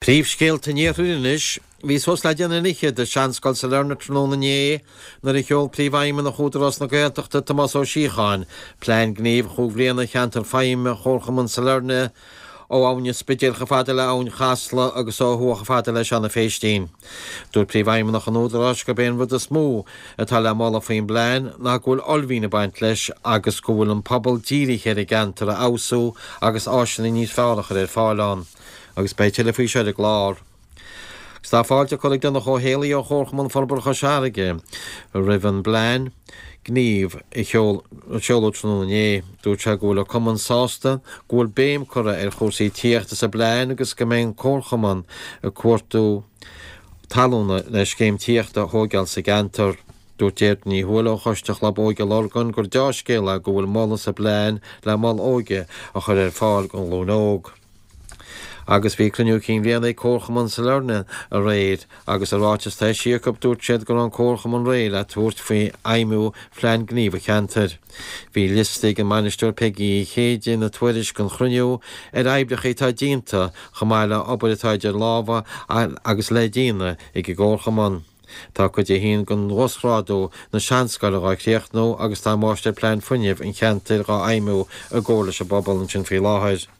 Príomhscéalta an Iarthair anois. Bhí suas le deich nduine fhichead i Seanscoil Sailearna tráthnóna inné nuair a sheol Príomhfheidhmeannach Údarás na Gaeltachta, Tomás Ó Síocháin, plean gnímh chúig bhliana cheantar feidhme Chomharchumann Sailearna ó Abhainn an Spidéil chomh fada le Abhainn Chasla agus ó thuaidh chomh fada le Seanadh Phéistín. Dúirt Príomhfheidhmeannach an Údaráis gurb é an rud is mó atá le moladh faoin bplean ná go bhfuil uaillmhian ag baint leis agus go bhfuil an pobal dírithe ar an gceantar a fheabhsú agus áiseanna níos fearr a chur ar fáil ann. Agus beidh tuilleadh faoi seo ar an gclár. Agus tá fáilte curtha ag Donncha Ó Héalaí ó Chomharchumann Forbartha Chois Fharraige roimh an bplean gnímh a seoladh tráthnóna inné. Dúirt sé go bhfuil an cumann sásta go bhfuil béim curtha ar chúrsaí tithíochta sa bplean agus go mbeidh an comharchumann ag cuartú talúna le scéim tithíochta a thóigeáil sa gceantar. Dúirt Deirdre Ní Thuathail ó Choiste Chlub Óige Lurgan gur deá-scéal é go bhfuil moladh sa bplean le mol óige a chur ar fáil don ghlúin óg. Agus bhí cruinniú cinn bhliana ag Comharchumann Sailearna aréir agus i ráiteas atá eisithe acu dúirt siad go raibh an Comharchumann réidh le tabhairt faoi fheidhmiú phlean gnímh an cheantair. Bhí liosta ag an mbainisteoir Peigí Uí Chéide ina tuairisc don chruinniú ar oibreacha atá déanta chomh maith le obair atá idir lámha agus le déanamh ag an gComharchumann. Tá cuid a haon den uasghrádú na Seanscoile dhá chríochnú agus tá Máistir Plean Fuinnimh an cheantair dhá fheidhmiú i gcomhar leis an bpobal ansin faoi láthair.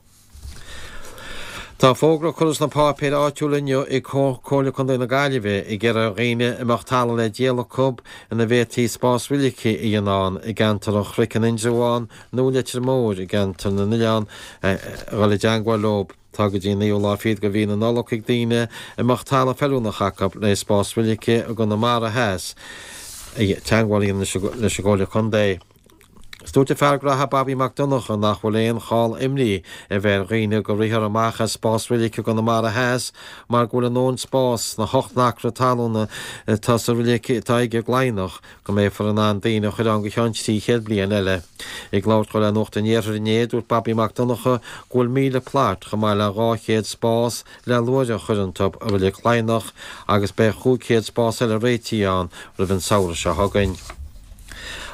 Tá fógra curtha sna páipéir áitiúla inniu ag Comhairle Contae na Gaillimhe ag iarraidh ar dhaoine a mbeadh talamh le díol acu ina bhféadfaí spás roilice a dhéanamh ann i gceantar an Chnoic in Indreabhán nó i Leitir Móir i gceantar na nOileán a dhul i dteangmháil leo. Tá go dtí an naoú lá fichead de mhí na Nollag ag daoine a mbeadh talamh feiliúnach acu le spás roilice i gConamara Theas teangmháil a dhéanamh leis an gComhairle Contae. Is dúirt an fear graithe Bobby Mac Donncha nach bhfuil aon chall imní a bheith ar dhaoine go rithfear amach as spás roilice i gConamara Theas mar go bhfuil a ndóthain spáis sna hocht n-acra talúna atá sa roilig atá aige i gCladhnach go mbeifear in ann daoine a chur ann go ceann 300 bliain eile. Ag labhairt dó le Nuacht an Iarthair inné, dúirt Bobby Mac Donncha go bhfuil 1,000 plot chomh maith le 200 spás le luaithreach a chur iontu i Reilig Chladhnach agus beidh 500 spás eile réitithe ann roimh an samhradh seo chugainn.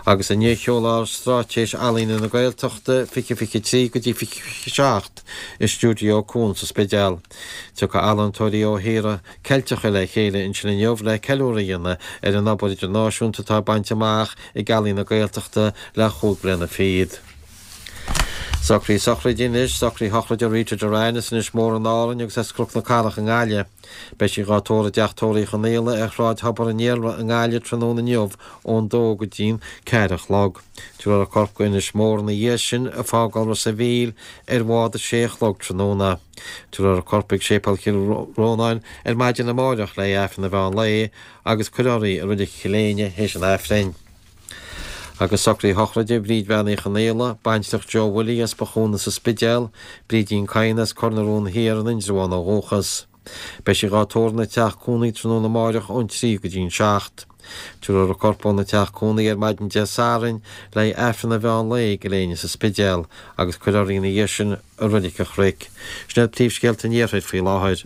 Agus inniu seolfar Straitéis Ealaíne na Gaeltachta 2023 go dtí 2027 i Stiúideo Cuan sa Spidéal. Tiocfaidh ealaíontóirí ó thíortha Ceilteacha le chéile ansin inniu le ceiliúradh a dhéanamh ar an obair idirnáisiúnta atá bainte amach ag Ealaín na Gaeltachta le chúig bliana fichead. Socruithe sochraide anois, socruithe shochraide Rita Doran as Inis Mór in Árainn agus as Cnoc na Cathrach i nGaillimh. Beidh sí dhá tórramh i dteach tórraimh Uí Chonaola ar Shráid Thobar an Iarla i nGaillimh tráthnóna inniu ón dó go dtí'n ceathair a chlog. Tabharfar a corp go Inis Mór ina dhiaidh sin ag fágáil Ros a' Mhíl ar bhád a sé a chlog tráthnóna. Tabharfar a corp chuig Séipéal Chill Rónáin ar maidin amáireach le Aifreann an mheán lae agus cuirfear í i Reilig Chill Éinne théis an Aifrinn. Agus socruithe sochraide Bhríd Bhean Uí Chonaola, baintreach Joe Willie as Bothúna sa Spidéal, Brídín Kyne as Cor na Rón Thiar in Indreabhán ó dhúchas. Beidh sí dhá tórramh ina teach cónaí tráthnóna amáireach ón 3 go dtí'n 7. Tabharfar a corp óna teach cónaí ar maidin Dé Sathairn le haghaidh Aifreann an mheán lae i gCill Éinne sa Spidéal agus cuirfear í ina dhiaidh sin i Reilig an Chnoic. Sin iad príomhscéalta an Iarthair faoi láthair.